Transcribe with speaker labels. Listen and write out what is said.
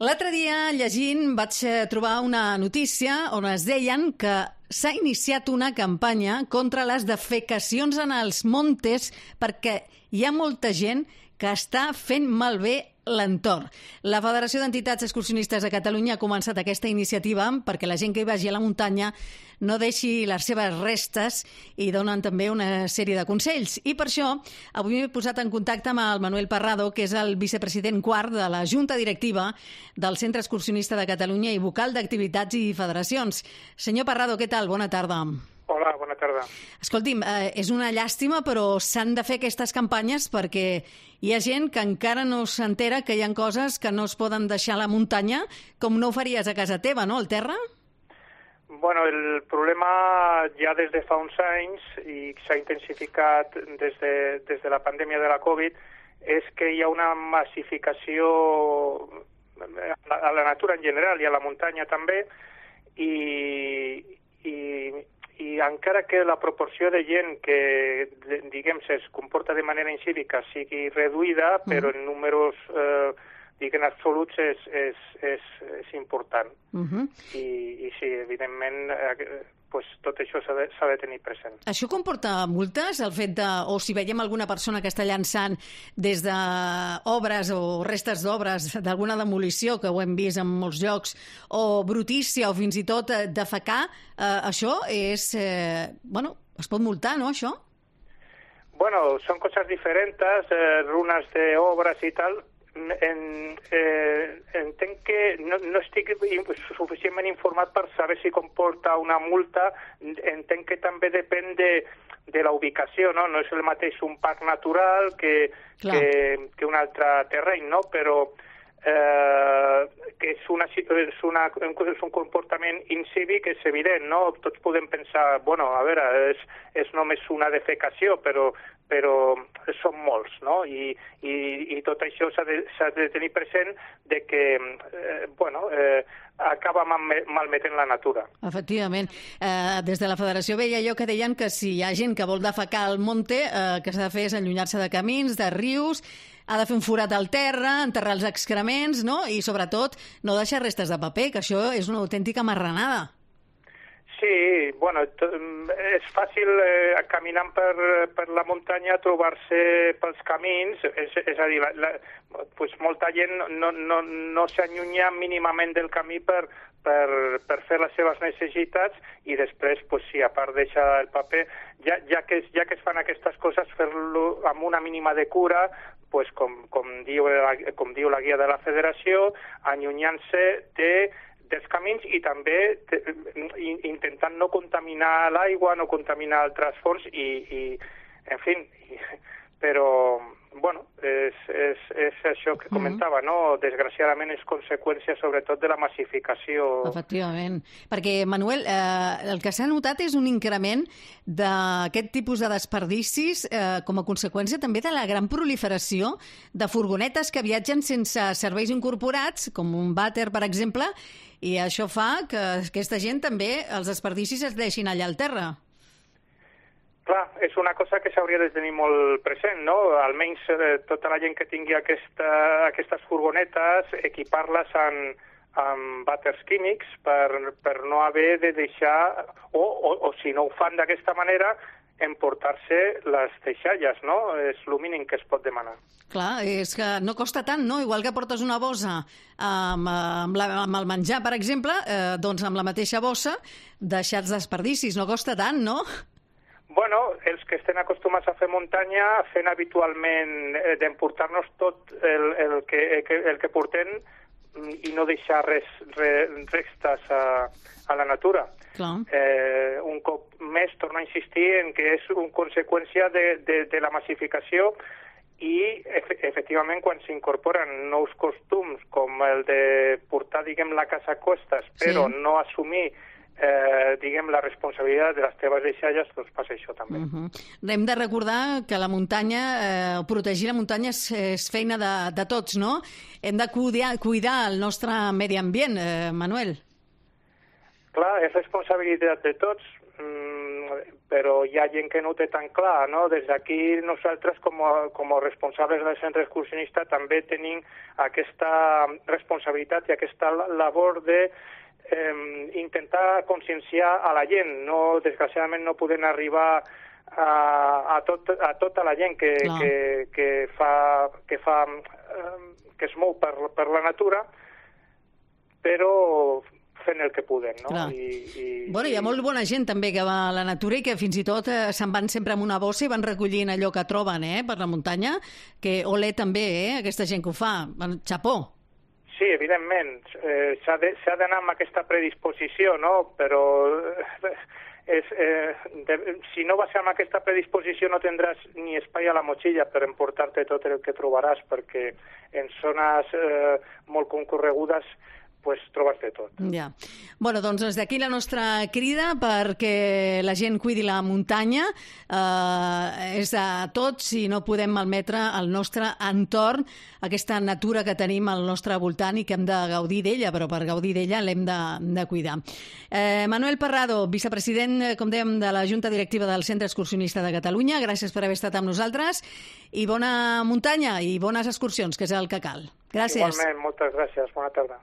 Speaker 1: L'altre dia, llegint, vaig trobar una notícia on es deien que s'ha iniciat una campanya contra les defecacions en els montes perquè hi ha molta gent que està fent malbé l'entorn. La Federació d'Entitats Excursionistes de Catalunya ha començat aquesta iniciativa perquè la gent que hi vagi a la muntanya no deixi les seves restes i donen també una sèrie de consells. I per això avui m'he posat en contacte amb el Manuel Parrado, que és el vicepresident quart de la Junta Directiva del Centre Excursionista de Catalunya i vocal d'activitats i federacions. Senyor Parrado, què tal? Bona tarda.
Speaker 2: Hola, bona tarda.
Speaker 1: Escolti'm, és una llàstima, però s'han de fer aquestes campanyes perquè hi ha gent que encara no s'entera que hi ha coses que no es poden deixar a la muntanya, com no ho faries a casa teva, no, al terra?
Speaker 2: Bueno, el problema ja des de fa uns anys, i s'ha intensificat des de la pandèmia de la Covid, és que hi ha una massificació a la natura en general i a la muntanya també, i encara que la proporció de gent que, diguem, es comporta de manera incívica sigui reduïda, però en números, diguem, absoluts és important. I sí, evidentment, pues, tot això s'ha de tenir present.
Speaker 1: Això comporta multes, el fet de, o si veiem alguna persona que està llançant des d'obres o restes d'obres d'alguna demolició, que ho hem vist en molts llocs, o brutícia, o fins i tot defecar, això és... bueno, es pot multar, no, això?
Speaker 2: Bueno, són coses diferents, runes d'obres i tal. Entenc que no estic suficientment informat per saber si comporta una multa. Entenc que també depèn de la ubicació, no? No és el mateix un parc natural que un altre terreny, no? Però que és un comportament incívic, és evident, no? Tots podem pensar, bueno, a veure, és només una defecació, però són molts, no? I tot això s'ha de tenir present de que, bueno, acaba malmetent la natura.
Speaker 1: Efectivament. Des de la Federació veia jo que deien que si hi ha gent que vol defecar al monte, que s'ha de fer és allunyar-se de camins, de rius, ha de fer un forat al terra, enterrar els excrements, no? I, sobretot, no deixar restes de paper, que això és una autèntica marranada.
Speaker 2: Sí, bueno, és fàcil caminant per la muntanya trobar-se pels camins, és a dir, pues molta gent no s'allunya mínimament del camí per fer les seves necessitats i després, pues, sí, a part deixar el paper, ja que es fan aquestes coses, fer-lo amb una mínima de cura, pues, com diu la guia de la Federació, allunyant-se dels camins i també intentant no contaminar l'aigua, no contaminar altres fonts i en fi, però, bueno, és això que comentava, no? Desgraciadament és conseqüència sobretot de la massificació.
Speaker 1: Efectivament, perquè, Manuel, el que s'ha notat és un increment d'aquest tipus de desperdicis com a conseqüència també de la gran proliferació de furgonetes que viatgen sense serveis incorporats, com un vàter, per exemple, i això fa que aquesta gent també, els desperdicis es deixin allà al terra.
Speaker 2: Clar, és una cosa que s'hauria de tenir molt present, no? Almenys tota la gent que tingui aquestes furgonetes, equipar-les amb vàters químics per no haver de deixar, o si no ho fan d'aquesta manera, emportar-se les deixalles, no? És el mínim que es pot demanar.
Speaker 1: Clar, és que no costa tant, no? Igual que portes una bossa amb el menjar, per exemple, doncs amb la mateixa bossa deixar els desperdicis. No costa tant, no?
Speaker 2: Bueno, els que estem acostumats a fer muntanya fent habitualment d'emportar-nos tot el que portem i no deixar restes a la natura. Un cop més torno a insistir en que és una conseqüència de la massificació i, efectivament, quan s'incorporen nous costums com el de portar, diguem, la casa a costes, però no assumir diguem, la responsabilitat de les teves deixalles, doncs passa això també.
Speaker 1: Hem de recordar que la muntanya, protegir la muntanya és feina de tots, no? Hem de cuidar el nostre medi ambient, Manuel.
Speaker 2: Clar, és responsabilitat de tots. però hi ha gent que no ho té tan clar, no? Des d'aquí nosaltres com a responsables del centre excursionista també tenim aquesta responsabilitat i aquesta labor de intentar conscienciar a la gent. No, desgraciadament no podem arribar a tota la gent que es mou per la natura, però fent el que podem, no?
Speaker 1: Bueno, hi ha molt bona gent també que va a la natura i que fins i tot se'n van sempre amb una bossa i van recollint allò que troben per la muntanya, que olé també, aquesta gent que ho fa. Xapó.
Speaker 2: Sí, evidentment. S'ha d'anar amb aquesta predisposició, no? Però si no vas amb aquesta predisposició no tindràs ni espai a la motxilla per emportar-te tot el que trobaràs, perquè en zones molt concorregudes pues trobes de tot.
Speaker 1: Ja. Bueno, doncs des d'aquí la nostra crida perquè la gent cuidi la muntanya és a tots i no podem malmetre el nostre entorn, aquesta natura que tenim al nostre voltant i que hem de gaudir d'ella, però per gaudir d'ella l'hem de cuidar. Manuel Parrado, vicepresident, com dèiem, de la Junta Directiva del Centre Excursionista de Catalunya, gràcies per haver estat amb nosaltres i bona muntanya i bones excursions, que és el que cal. Gràcies.
Speaker 2: Igualment, moltes gràcies. Bona tarda.